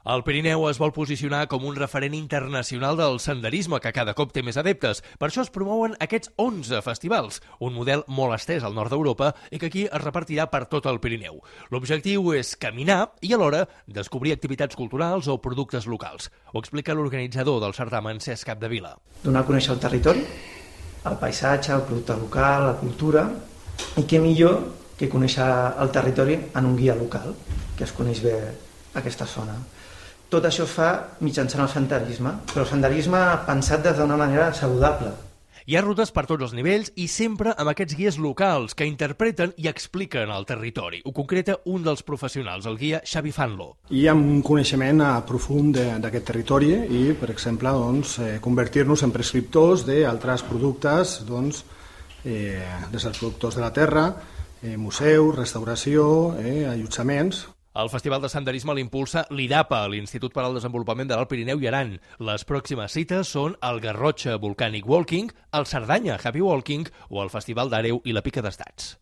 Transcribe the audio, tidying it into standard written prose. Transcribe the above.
El Pirineu es vol posicionar com un referent internacional del senderisme, que cada cop té més adeptes. Per això es promouen aquests 11 festivals, un model molt estès al nord d'Europa i que aquí es repartirà per tot el Pirineu. L'objectiu és caminar i alhora descobrir activitats culturals o productes locals. Ho explica l'organitzador del certamen, Cesc Capdevila. Donar a conèixer el territori, el paisatge, el producte local, la cultura, i què millor que conèixer el territori en un guia local, que es coneix bé aquesta zona. Tot això es fa mitjançant el senderisme, però el senderisme pensat des d'una manera saludable. Hi ha rutes per tots els nivells i sempre amb aquests guies locals que interpreten i expliquen el territori. Ho concreta un dels professionals, el guia Xavi Fanlo. Hi ha un coneixement profund d'aquest territori i, per exemple, convertir-nos en prescriptors d'altres productes, des dels productors de la terra, museus, restauració, allotjaments. El Festival de Senderisme l'impulsa l'IDAPA, l'Institut per al Desenvolupament de l'Alt Pirineu i Aran. Les pròximes cites són el Garrotxa Volcanic Walking, el Cerdanya Happy Walking o el Festival d'Àreu i la Pica d'Estats.